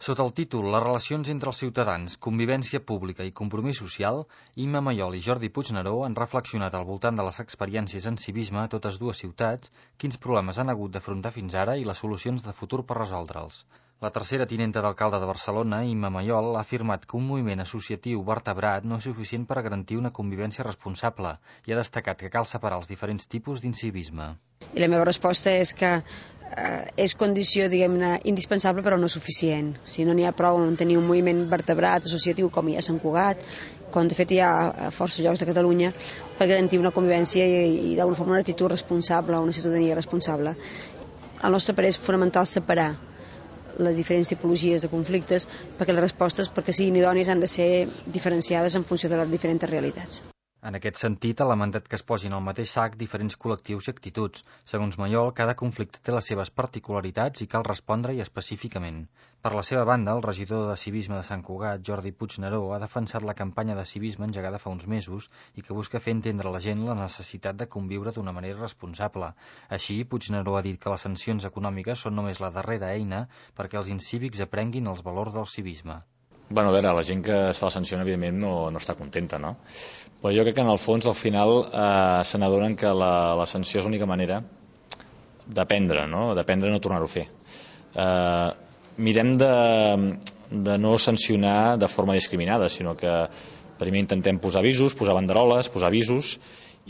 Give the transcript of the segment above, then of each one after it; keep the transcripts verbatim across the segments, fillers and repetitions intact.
Sota el títol Les relacions entre els ciutadans, convivència pública i compromís social, Imma Mayol i Jordi Puigneró han reflexionat al voltant de les experiències en civisme a totes dues ciutats, quins problemes han hagut d'afrontar fins ara i les solucions de futur per resoldre'ls. La tercera tinenta d'alcalde de Barcelona, Imma Mayol, ha afirmat que un moviment associatiu vertebrat no és suficient per a garantir una convivència responsable i ha destacat que cal separar els diferents tipus d'incivisme. I la meva resposta és que eh, és condició, diguem-ne, indispensable però no suficient. O sigui, no n'hi ha prou en tenir un moviment vertebrat associatiu com hi ha a Sant Cugat, com de fet hi ha a força llocs de Catalunya, per garantir una convivència i, i d'alguna forma una actitud responsable, una ciutadania responsable. Al nostre parer és fonamental separar les diferents tipologies de conflictes perquè les respostes, perquè siguin idònies, han de ser diferenciades en funció de les diferents realitats. En aquest sentit, ha lamentat que es posin al mateix sac diferents col·lectius i actituds. Segons Mayol, cada conflicte té les seves particularitats i cal respondre-hi específicament. Per la seva banda, el regidor de Civisme de Sant Cugat, Jordi Puigneró, ha defensat la campanya de civisme engegada fa uns mesos i que busca fer entendre a la gent la necessitat de conviure d'una manera responsable. Així, Puigneró ha dit que les sancions econòmiques són només la darrera eina perquè els incívics aprenguin els valors del civisme. Bueno, a veure, la gent que se la sanciona, evidentment, no, no està contenta, no? Però jo crec que, en el fons, al final, eh, se n'adonen que la, la sanció és l'única manera d'aprendre, no? D'aprendre a no tornar-ho a fer. Eh, mirem de, de no sancionar de forma discriminada, sinó que primer intentem posar avisos, posar banderoles, posar avisos,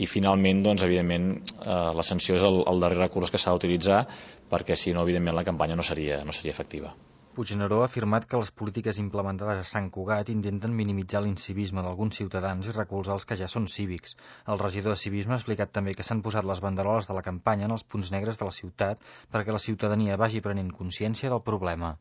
i finalment, doncs, evidentment, eh, la sanció és el, el darrer recurs que s'ha d'utilitzar, perquè, si no, evidentment, la campanya no seria, no seria efectiva. Puigneró ha afirmat que les polítiques implementades a Sant Cugat intenten minimitzar l'incivisme d'alguns ciutadans i recolzar els que ja són cívics. El regidor de Civisme ha explicat també que s'han posat les banderoles de la campanya en els punts negres de la ciutat perquè la ciutadania vagi prenent consciència del problema.